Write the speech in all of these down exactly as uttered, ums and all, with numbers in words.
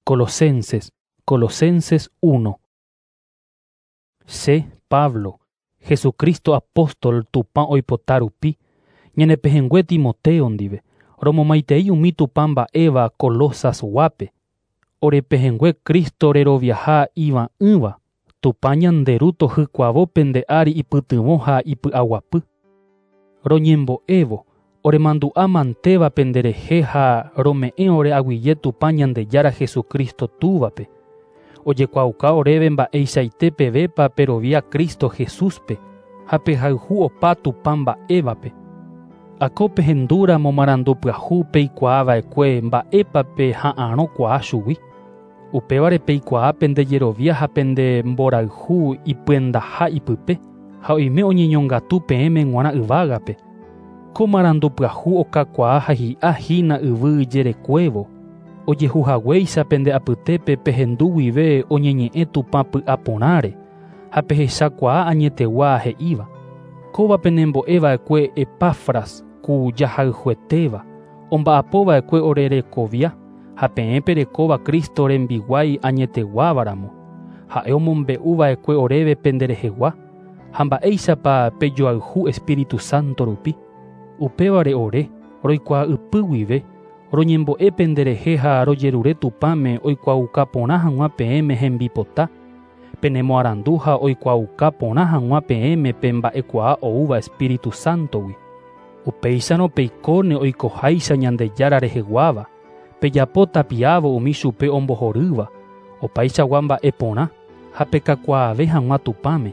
Colosenses, Colosenses uno. Che, Pablo, Jesucristo apóstol Tupã oipota rupi, ñanepehẽngue Timoteo ndive, romomaitei umi Tupã mba'éva Colosasguápe, orepehẽngue Cristo reroviaha iva'ỹva, Tupã ñande Ru tohykuavo pende ári ipytyvõ ha ipy'aguapy. Roñembo'évo, oremandu'a mantéva penderehe ha rome'ẽ ore aguyje Tupã Ñandejára Jesucristo túvape. Ojekuaauka oréve mba'eichaite pevépa perovia Cristo Jesúspe ha pehayhu opa Tupã mba'évape. Ako pehendúramo marandu pyahu peikuaava'ekue mba'épape ha'arõkuaa chugui. Upévare peikuaa pendejerovia ha pende mborayhu ipyendaha ipype ha oime oñeñongatu peẽme g̃uarã yvágape. Ko marandu pyahu okakuaa ha hi'a hína yvy jerekuévo. Ojehuhaguéicha pende apytépe pehendu guive oñeñe'ẽ Tupã py'aporãre ha pehechakuaa añetegua he'íva. Kóva penembo'eva'ekue Epafras ku jahayhuetéva, omba'apova'ekue orerekovia ha peẽ perekóva Cristo rembiguái añeteguávaramo. Ha'e omombe'uva'ekue oréve penderehegua ha mba'éichapa pejoayhu Espíritu Santo rupi. Upévare ore roikuaa ypy guive roñembo'e penderehe ha rojerure Tupãme oikuaauka porã hag̃ua peẽme hembipota, penemoarandu ha oikuaauka porã hag̃ua peẽme pe mba'ekuaa oúva Espíritu Santogui. Upéicharõ peikóne oikoháicha Ñandejára reheguáva, pejapo tapiávo umi chupe ombohorýva, opaichagua mba'e porã ha pekakuaave hag̃ua Tupãme.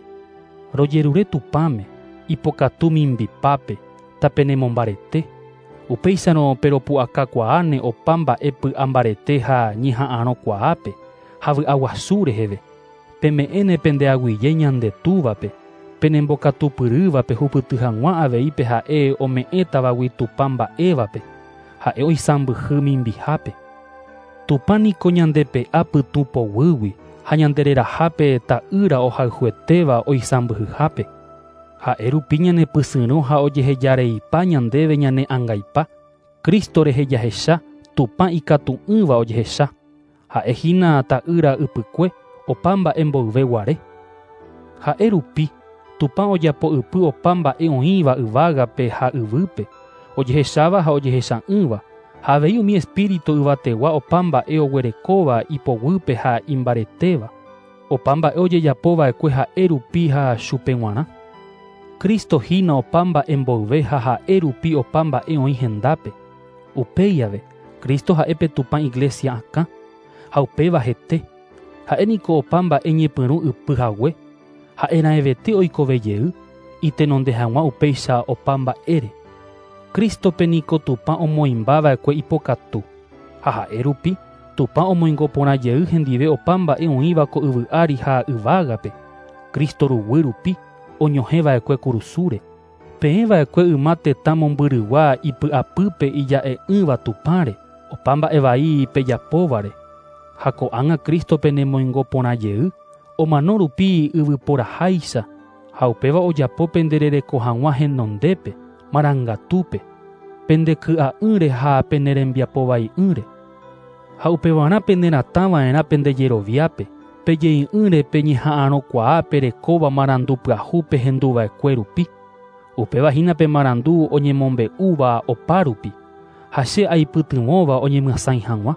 Rojerure Tupãme, ipokatu mimbipápe, tapenemombarete. Upéicharõ peropu'akakuaáne opa mba'e py'ambarete ha ñeha'arõkuaápe ha vy'aguasu reheve. Peme'ẽne pende aguyje ñande túvape, penembokatupyrývape hupyty hag̃ua avei pe ha'e ome'ẽtavagui Tupã mba'évape, ha'e oisãmbyhy mimbihápe. Tupã niko ñandepe'a pytũ poguýgui ha ñandererahápe ta'ýra ohayhuetéva oisãmbyhyhápe. Ha'e rupi ñanepysyrõ ha ojehejareipa ñandéve ñane angaipa, Cristo rehe jahecha Tupã ikatu'ỹva ojehecha. Ha'e hína ta'ýra ypykue opa mba'e mboyve guare. Ha'e rupi Tupã ojapo ypy opa mba'e oĩva yvágape ha yvýpe, ojehecháva ha ojehecha'ỹva, ha avei umi espíritu yvategua opa mba'e oguerekóva ipoguýpe ha imbaretéva, opa mba'e ojejapova'ekue ha'e rupi ha chupe g̃uarã. Cristo hína opa mba'e mboyve ha ha'e rupi opa mba'e oĩ hendápe. Upéi ave, Cristo ha'e pe Tupã iglesia akã, ha upéva hete. Ha'e niko opa mba'e ñepyrũ ypy hague, ha'e raẽvete oikove jey, itenonde hag̃ua upéicha opa mba'ére. Cristope niko Tupã omoĩmbava'ekue ipokatu, ha ha'e rupi Tupã omoingo porã jey hendive opa mba'e oĩva ko yvy ári ha yvágape. Cristo ruguy rupi oñohẽva'ekue kurusúre. Peẽva'ekue yma tetã mombyrygua ipy'apýpe ija'e'ỹva Tupãre, opa mba'e vai pejapóvare. Ha ko'ág̃a Cristo penemoingo porã jey, omano rupi yvyporaháicha, ha upéva ojapo penderereko hag̃ua henondépe, marangatúpe, pendeky'a'ỹre ha penerembiapovai'ỹre. Ha upevarã peneratãva'erã pendejeroviápe, pejei'ỹre peñeha'arõkuaa perekóva marandu pyahu pehenduva'ekue rupi. Upéva hína pe marandu oñemombe'úva opa rupi, ha che aipytyvõva oñemyasãi hag̃ua.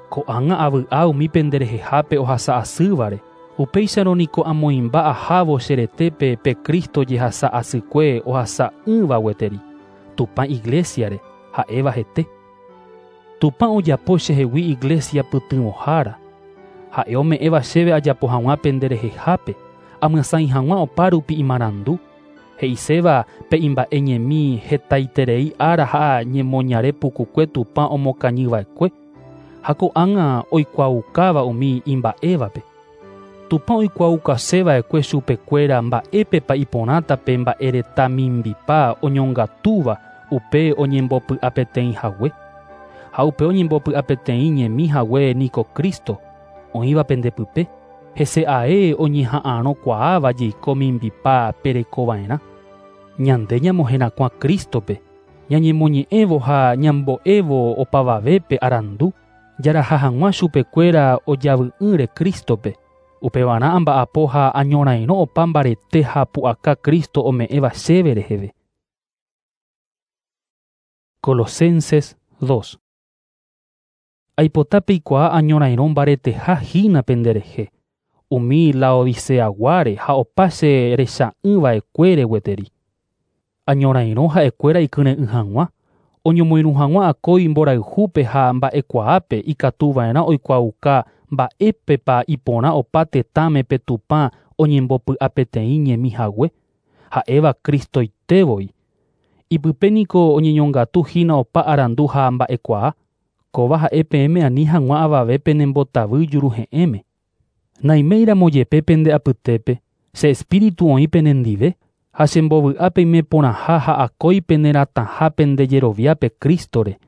Ko'ág̃a avy'a umi penderehehápe ohasa asývare, upéicharõ niko amoĩmba ahávo che retépe pe Cristo jehasa asykue ohasa'ỹva gueteri, Tupã iglesiare, ha'éva hete. Tupã ojapo chehegui iglesia pytyvõhára. Ha'e ome'ẽva chéve ajapo hag̃ua penderehehápe, amyasãi hag̃ua opa rupi imarandu. He'iséva pe imba'e ñemi hetaiterei ára ha ñemoñare pukukue Tupã omokañyva'ekue, ha ko'ág̃a oikuaaukáva umi imba'évape. Tupã oikuaukaseva'ekue chupekuéra mba'épepa iporãta pe mba'ereta mimbipa oñongatúva upe oñembopy'apeteĩ hague. Ha upe oñembopy'apeteĩ ñemi hague niko Cristo, oĩva pendepype, hese ae oñeha'arõkuaáva jeiko mimbipa perekova'erã. Ñande ñamoherakuã Cristope, ñañemoñe'ẽvo ha ñambo'évo opavavépe arandu, Jaraha hag̃ua chupekuéra ojavy'ỹre Crístope. Upevarã amba'apo ha añorairõ opa mbarete ha pu'aka Cristo ome'ẽva chéve reheve. Colosenses dos. Aipota peikuaa añorairõ mbareteha hína penderehe, umi Laodiceaguáre ha opa che recha'ỹva'ekuére gueteri. Añorairõ ha'ekuéra ikyre'ỹ hag̃ua, oñomoirũ hag̃ua akói mborayhúpe ha mba'ekuaápe ikatuva'erã oikuaauka mba'épepa iporã opa tetãme pe Tupã oñembopy'apeteĩ ñemi hague, ha'éva Cristoitévoi. Ipype niko oñeñongatu hína opa arandu ha mba'ekuaa, kóva ha'e peẽme ani hag̃ua avave penembotavy juruhe'ẽme. Naiméiramo jepe pende apytépe, che espíritu oĩ penendive, ha chembovy'a peime porãha ha akói peneratãha pendejeroviápe Cristore.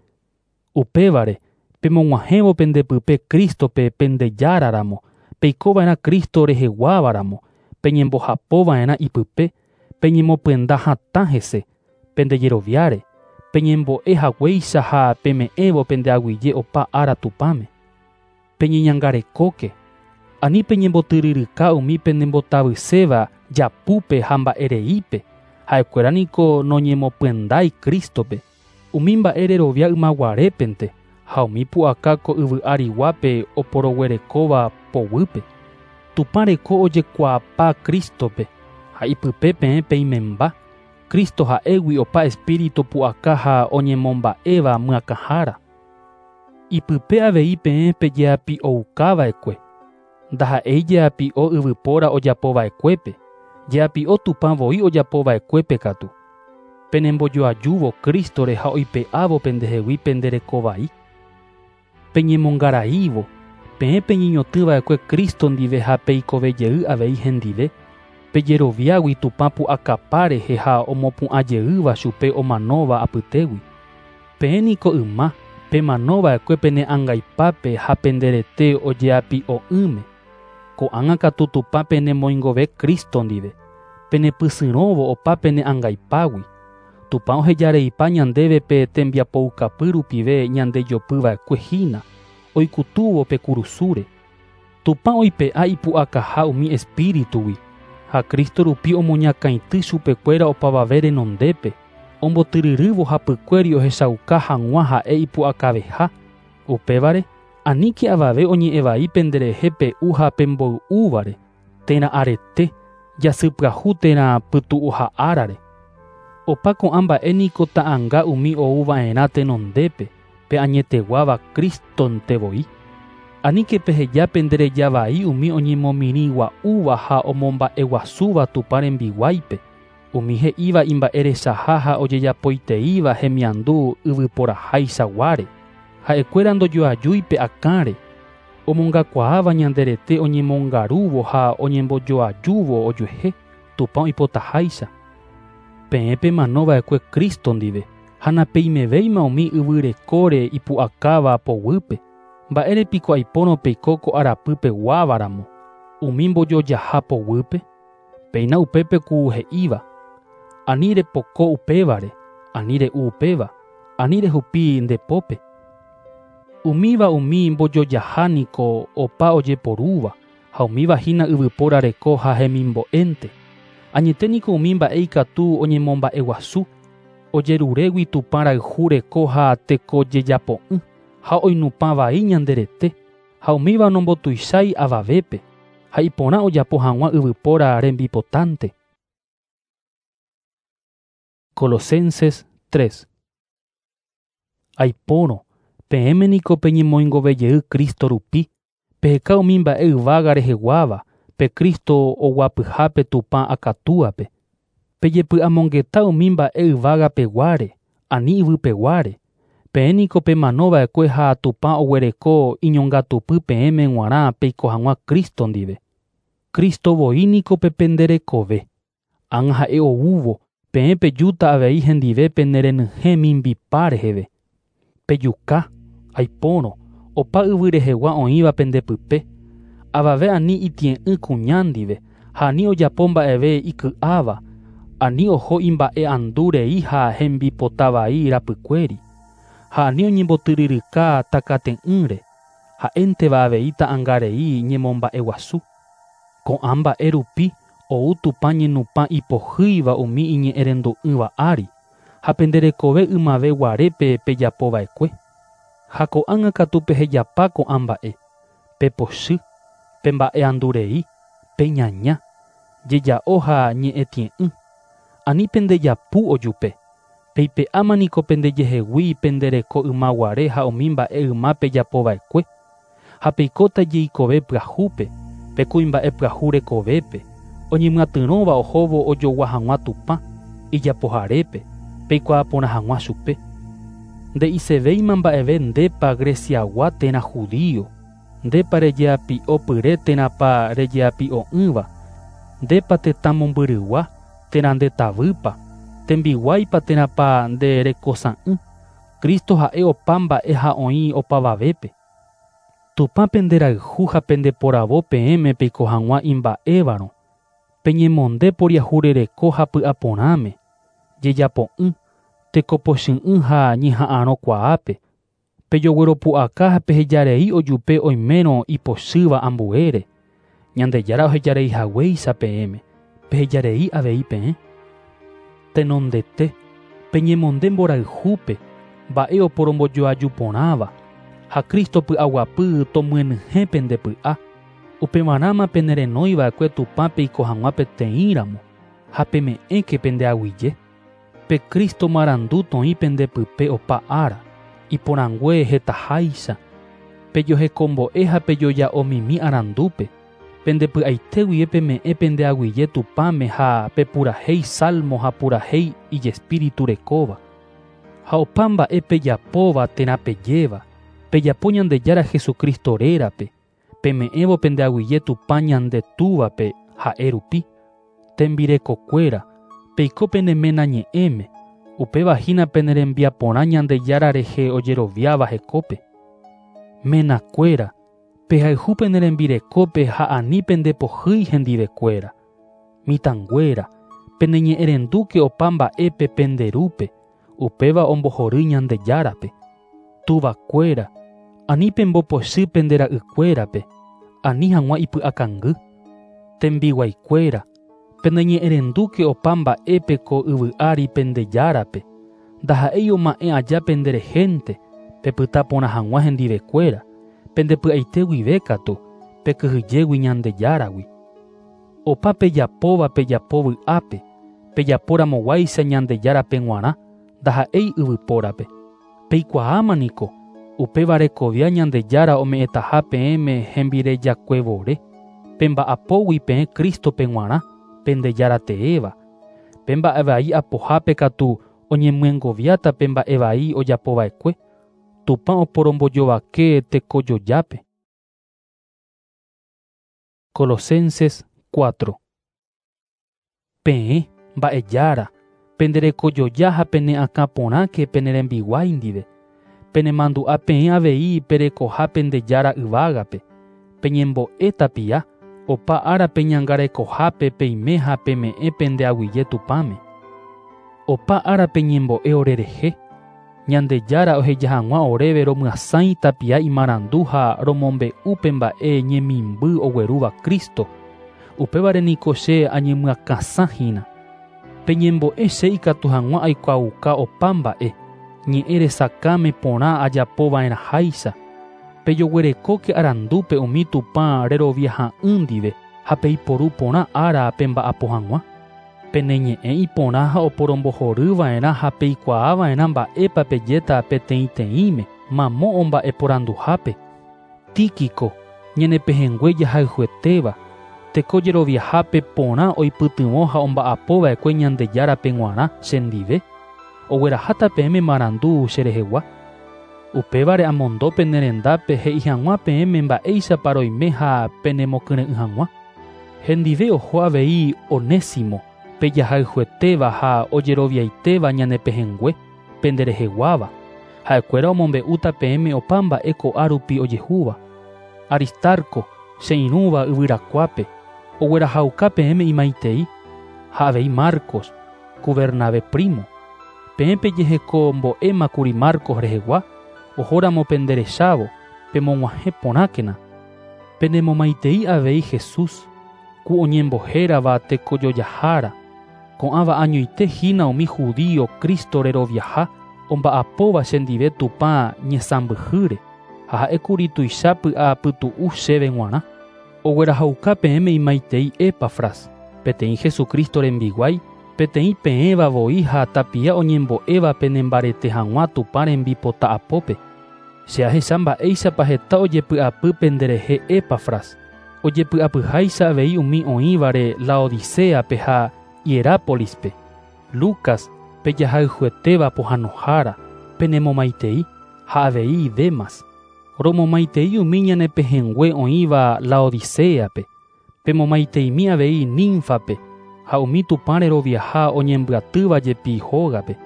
Upévare, pemog̃uahẽvo pendepype Cristope pendejáraramo, peikova'erã Cristo reheguávaramo, peñembohapova'erã ipype, peñemopyenda hatã hese, pendejeroviáre, peñembo'e haguéicha ha peme'ẽvo pendeaguyje opa ára Tupãme. Peñeñangarekóke, ani peñembotyryryka umi penembotavyséva japúpe ha mba'ereípe, ha'ekuéra niko noñemopyendái Cristope, umi mba'e rerovia ymaguarépente ha umi pu'aka ko yvy ariguápe oporoguerekóva poguýpe. Tupã reko ojekuaapa Cristope ha ipype peẽ peimemba, Cristo ha'égui opa espíritu pu'aka ha oñemomba'éva myakãhára. Ipype avei peẽ pejeapi'oukava'ekue, ndaha'éi jeapi'o yvypóra ojapova'ekuépe, jeapi'o Tupã voi ojapova'ekuépe katu. Penembojoajúvo Cristore ha oipe'ávo pendehegui penderekovai. Peñemongaraívo, peẽ peñeñotỹva'ekue Cristo ndive ha peikovejey avei hendive, pejeroviágui Tupã pu'akapa rehe ha omopu'ãjeýva chupe omanóva apytégui. Peẽ niko yma, pemanova'ekue pene angaipápe ha penderete ojeapi'o'ỹme. Ko'ág̃a katu Tupã penemoingove Cristo ndive, penepysyrõvo opa pene angaipágui. Tupã ohejareipa ñandéve pe tembiapoukapy rupive ñandejopyva'ekue hína, oikutúvo pe kurusúre. Tupã oipe'a ipu'akaha umi espíritugui, ha Cristo rupi omoñakãity chupekuéra opavave renondépe, ombotyryrývo hapykuéri ohechauka hag̃ua ha'e ipu'akaveha. Upévare, aníke avave oñe'ẽvai penderehe pe'u ha pemboy'úvare, térã arete, jasypyahu térã pytu'uha árare. Opa ko'ã mba'e niko ta'ãnga umi ouva'erã tenondépe, pe añeteguáva Cristontevoi. Aníke peheja penderejavai umi oñemomirĩgua'úva ha omomba'eguasúva Tupã rembiguáipe, umi he'íva imba'erechaha ha ojejapoiteíva hemiandu yvyporaháichaguáre. Ha'ekuéra ndojoajúi pe akãre, omongakuaáva ñanderete oñemongarúvo ha oñembojoajúvo ojuehe, Tupã oipotaháicha. Peẽ pemanova'ekue Cristo ndive, ha napeimevéima umi yvyrekóre ipu'akáva poguýpe. Mba'érepiko aipórõ peiko ko arapýpe guávaramo, umi mbojojaha poguýpe? Péina upépe ku he'íva, ani repoko upévare, ani re'u upéva, ani rehupi ndepópe. Umíva umi mbojojaha niko opa ojeporúva, ha umíva hína yvypóra reko ha hemimbo'énte. Añete niko umi mba'e ikatu oñemomba'eguasu, ojerurégui Tupã rayhu reko ha tekojejapo'ỹ, ha oinupãvai ñanderete, ha umíva nombotuichái avavépe, ha iporã ojapo hag̃ua yvypóra rembipotánte. Colosenses tres. Aipórõ, peẽme niko peñemoingovejey Cristo rupi, peheka umi mba'e yvága reheguáva, pe Cristo oguapyhápe Tupã akatúape. Pejepy'amongeta umi mba'e yvágapeguáre, ani yvypeguáre. Peẽ niko pemanova'ekue ha Tupã oguereko iñongatupy peẽme g̃uarã peiko hag̃ua Cristo ndive. Cristo voi niko pe penderekove. Ág̃a ha'e oúvo, peẽ pejúta avei hendive penerenyhẽ mimbipa reheve. Pejuka, aipórõ, opa yvy rehegua oĩva pendepype, avave ani itie'ỹ kuña ndive, ha ani ojapo mba'eve iky'áva, ani oho imba'e'andu rei ha hembipotavai rapykuéri, ha ani oñembotyryryka takate'ỹre, Ha'énteva avei ta'ãngarei ñemomba'eguasu. Ko'ã mba'e rupi ou Tupã ñenupã ipohýiva umi iñe'ẽrendu'ỹva ári, ha penderekove ymave guarépe pejapova'ekue. Ha ko'ág̃a katu pehejapa ko'ã mba'e, pepochy, pemba'e'andurei, peñaña, jeja'o ha ñe'ẽtie'ỹ. Ani pendejapu ojupe, peipe'áma niko pendejehegui pendereko ymaguare ha umi mba'e yma pejapova'ekue, ha peikóta jeikove pyahúpe, pe kuimba'e pyahu rekovépe, oñemyatyrõva ohóvo ojogua hag̃ua Tupã, ijapoharépe, peikuaa porã hag̃ua chupe. Nde'isevéima mba'eve ndépa Greciagua térã judío, ndépa rejeapi'opyre térãpa rejeapi'o'ỹva, ndépa tetã mombyrygua térã ndetavýpa, tembiguáipa térãpa nde rekosa'ỹ, Cristo ha'e opa mba'e ha oĩ opavavépe. Tupã penderayhu ha pendeporavo peẽme peiko hag̃ua imba'évarõ, peñemonde poriahurereko ha py'aporãme, jejapo'ỹ, tekopochy'ỹ ha ñeha'ãrõkuaápe, pejogueropu'aka ha pehejarei ojupe oimérõ ipochýva ambuére, Ñandejára ohejareihaguéicha peẽme, pehejarei avei peẽ. Tenondete, peñemonde mborayhúpe, mba'e oporombojoaju porãva, ha Cristo py'aguapy tomyenyhẽ pende py'a, upevarãma penerenóiva'ekue Tupã peiko hag̃ua peteĩramo, ha peme'ẽke pendeaguyje. Pe Cristo marandu toĩ pendepype opa ára, iporãngue hetaháicha, pejohekombo'e ha pejoja'omimi arandúpe, pendepy'aite guive peme'ẽ pendeaguyje Tupãme ha pepurahéi salmo ha purahéi ijespíritu rekóva. Ha opa mba'e pejapóva térã pejéva, pejapo Ñandejára Jesucristo rérape, peme'ẽvo pendeaguyje Tupã ñande Túvape ha'e rupi. Tembirekokuéra, peiko pene ména ñe'ẽme, upéva hína pene rembiaporã Ñandejára rehe ojeroviáva hekópe. Menakuéra, pehayhu pene rembirekópe ha ani pendepohýi hendivekuéra. Mitãnguéra, peneñe'ẽrendúke opa mba'épe penderúpe, upéva ombohory Ñandejárape. Tuvakuéra, ani pembopochy pende ra'ykuérape, ani hag̃ua ipy'akangy. Tembiguaikuéra, peneñe'ẽrendúke opa mba'épe ko yvy ári pendejárape, ndaha'éi oma'ẽ aja penderehénte, pepyta porã hag̃ua hendivekuéra, pendepy'aite guive katu, pekyhyjégui Ñandejáragui. Opa pejapóva pejapo vy'ápe, pejaporamoguáicha Ñandejárape g̃uarã, ndaha'éi yvypórape. Peikuaáma niko, upéva rekovia Ñandejára ome'ẽtaha peẽme hembirejakuevore, pemba'apógui peẽ Cristope g̃uarã, pendejára teéva. Pe mba'evai apohápe katu oñemyengoviáta pe mba'evai ojapova'ekue, Tupã oporombojovake tekojojápe. Colosenses cuatro. Peẽ, mba'ejára, penderekojoja ha pene'akãporãke pene rembiguái ndive, penemandu'a peẽ avei perekoha pendejára yvágape, peñembo'e tapia, opa ára peñangarekohápe peime ha peme'ẽ pendeaguyje Tupãme. Opa ára peñembo'e orerehe, Ñandejára oheja hag̃ua oréve romyasãi tapia imarandu ha romombe'u pe mba'e ñemimby oguerúva Cristo, upévare niko che añemyakãsãhína. Peñembo'e che ikatu hag̃ua aikuaauka opa mba'e, ñe'ẽ resakãme porã ajapova'erãháicha, pejoguerekóke arandúpe umi Tupã reroviaha'ỹ ndive ha peiporu porã ára pemba'apo hag̃ua. Pene ñe'ẽ iporã ha oporombohoryva'erã ha peikuaava'erã mba'épa pejéta peteĩteĩme mamo omba'eporanduhápe. Tíquico, ñanepehẽngue jahayhuetéva, teko jeroviahápe porã oipytyvõ ha omba'apova'ekue Ñandejárape g̃uarã chendive, ogueraháta peẽme marandu cherehegua. Upévare amondo pene rendápe he'i hag̃ua peẽme mba'éichapa roime ha penemokyre'ỹ hag̃ua. Hendive oho avei Onésimo, pejahayhuetéva ha ojeroviaitéva ñanepehẽngue, pendereheguáva. Ha'ekuéra omombe'úta peẽme opa mba'e ko'a rupi ojehúva. Aristarco, che irũva yvyrakuápe, oguerahauka peẽme imaitei, ha avei Marcos, ku Bernabé primo. Peẽ pejehekombo'émakuri Marcos rehegua, ohóramo penderechávo, pemog̃uahẽ porãkena. Penemomaitei avei Jesús, ku oñembohérava tekojojahára. Ko'ãva añoite hína umi judío Cristo reroviaha omba'apóva chendive Tupã ñesãmbyhýre ha ha'ékuri tuicha py'apytu'u chéve g̃uarã. Oguerahauka peẽme imaitei Epafras, peteĩ Jesucristo rembiguái, peteĩ peẽva voi ha tapia oñembo'éva penembarete hag̃ua Tupã rembipota apópe. Che ahecha mba'éichapa heta ojepy'apy penderehe Epafras, ojepy'apyháicha avei umi oĩvare Laodiceape ha Hierápolispe. Lucas, pejahayhuetéva pohãnohára, penemomaitei ha avei Demas. Romomaitei umi ñanepehẽngue oĩva Laodiceape, pemomaiteimi avei Ninfape ha umi Tupã reroviaha oñembyatýva jepi hógape.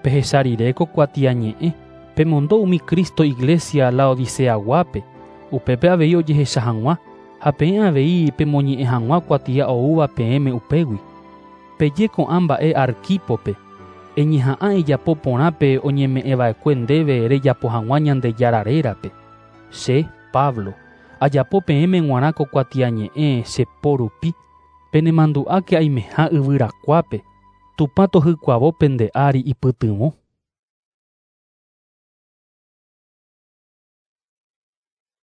Pehecha rire ko kuatiañe'ẽ, pemondo umi Cristo iglesia Laodiceaguápe, upépe avei ojehecha hag̃ua ha peẽ avei pemoñe'ẽ hag̃ua kuatia oúva peẽme upégui. Peje ko'ã mba'e Arquípope, eñeha'ã ejapo porãpe oñeme'ẽva'ekue ndéve rejapo hag̃ua Ñandejára rérape. Che, Pablo, ajapo peẽme g̃uarã ko kuatiañe'ẽ che po rupi, penemandu'áke aimeha yvyrakuápe, Tupã tohykuavo pende ári ipytyvõ.